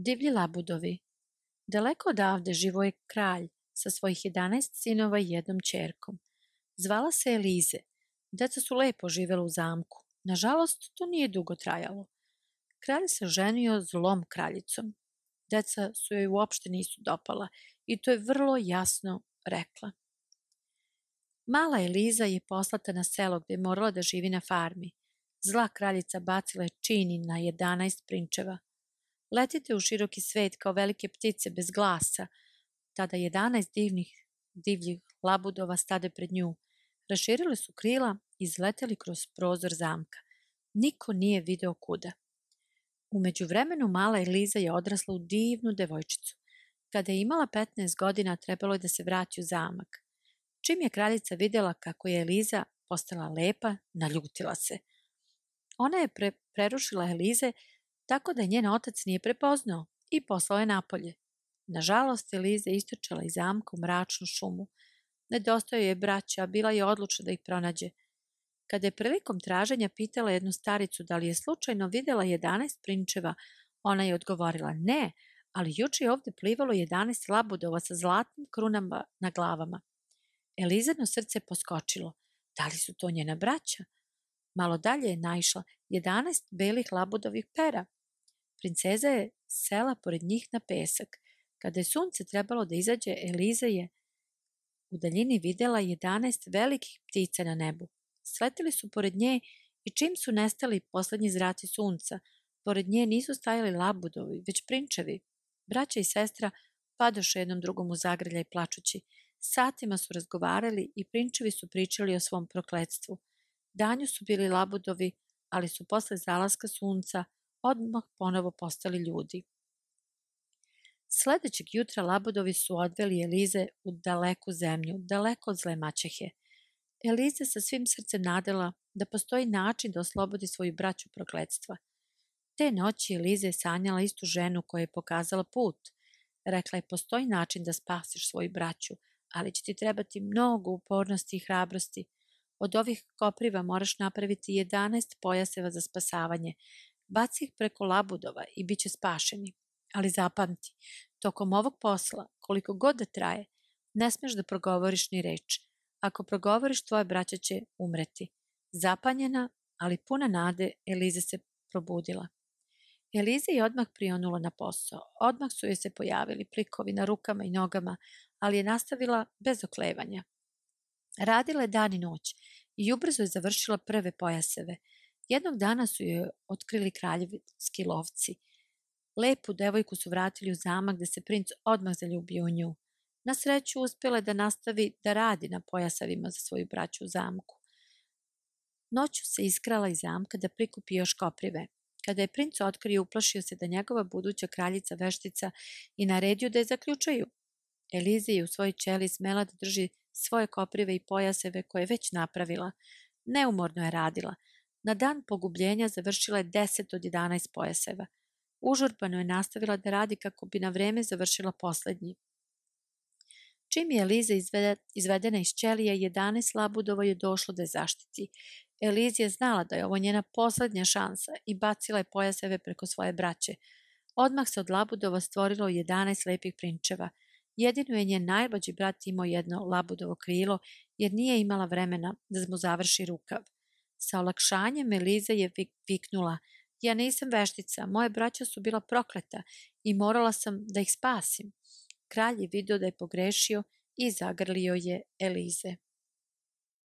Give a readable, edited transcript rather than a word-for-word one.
Divlji labudovi. Daleko odavde živo je kralj sa svojih 11 sinova i jednom ćerkom. Zvala se Elize. Deca su lepo živela u zamku. Nažalost, to nije dugo trajalo. Kralj se ženio zlom kraljicom. Deca su joj uopšte nisu dopala i to je vrlo jasno rekla. Mala Eliza je poslata na selo gde je morala da živi na farmi. Zla kraljica bacila je čini na 11 prinčeva. Letite u široki svet kao velike ptice bez glasa. Tada 11 divljih labudova stade pred nju. Raširile su krila i izleteli kroz prozor zamka. Niko nije video kuda. U međuvremenu mala Eliza je odrasla u divnu devojčicu. Kada je imala 15 godina, trebalo je da se vrati u zamak. Čim je kraljica vidjela kako je Eliza postala lepa, naljutila se. Ona je prerušila Elize tako da njen otac nije prepoznao i poslao je napolje. Nažalost, Eliza je istrčala iz zamka u mračnu šumu. Nedostajao je braća, a bila je odlučna da ih pronađe. Kada je prilikom traženja pitala jednu staricu da li je slučajno vidjela 11 prinčeva, ona je odgovorila ne, ali juče je ovdje plivalo 11 labudova sa zlatnim krunama na glavama. Elizino srce poskočilo. Da li su to njena braća? Malo dalje je naišla 11 belih labudovih pera. Princeza je sela pored njih na pesak. Kada je sunce trebalo da izađe, Eliza je u daljini vidjela 11 velikih ptica na nebu. Sletili su pored nje i čim su nestali poslednji zraci sunca, pored nje nisu stajali labudovi, već prinčevi. Braća i sestra padoše jednom drugom u zagrljaj plačući. Satima su razgovarali i prinčevi su pričali o svom prokletstvu. Danju su bili labudovi, ali su posle zalaska sunca odmah ponovo postali ljudi. Sledećeg jutra labudovi su odveli Elize u daleku zemlju, daleko od zle maćehe. Eliza sa svim srcem nadala da postoji način da oslobodi svoju braću prokletstva. Te noći Eliza je sanjala istu ženu koja je pokazala put. Rekla je, postoji način da spasiš svoju braću, ali će ti trebati mnogo upornosti i hrabrosti. Od ovih kopriva moraš napraviti 11 pojaseva za spasavanje. Baci ih preko labudova i bit će spašeni. Ali zapamti, tokom ovog posla, koliko god da traje, ne smeš da progovoriš ni reč. Ako progovoriš, tvoja braća će umreti. Zapanjena, ali puna nade, Eliza se probudila. Eliza je odmah prionula na posao. Odmah su joj se pojavili plikovi na rukama i nogama, ali je nastavila bez oklevanja. Radila je dan i noć i ubrzo je završila prve pojaseve. Jednog dana su joj otkrili kraljevski lovci. Lepu devojku su vratili u zamak gde se princ odmah zaljubio u nju. Na sreću uspjela je da nastavi da radi na pojasevima za svoju braću u zamku. Noću se iskrala iz zamka da prikupi još koprive. Kada je princ otkrio, uplašio se da njegova buduća kraljica veštica i naredio da je zaključaju. Eliza je u svojoj ćeliji smela da drži svoje koprive i pojaseve koje je već napravila. Neumorno je radila. Na dan pogubljenja završila je 10 od 11 pojaseva. Užurbano je nastavila da radi kako bi na vreme završila poslednji. Čim je Eliza izvedena iz ćelije, 11 labudova je došlo da je zaštiti. Eliza je znala da je ovo njena poslednja šansa i bacila je pojaseve preko svoje braće. Odmah se od labudova stvorilo 11 lepih prinčeva. Jedino je njen najmlađi brat imao jedno labudovo krilo, jer nije imala vremena da mu završi rukav. Sa olakšanjem Eliza je viknula: ja nisam veštica, moje braća su bila prokleta i morala sam da ih spasim. Kralj je video da je pogrešio i zagrlio je Elize.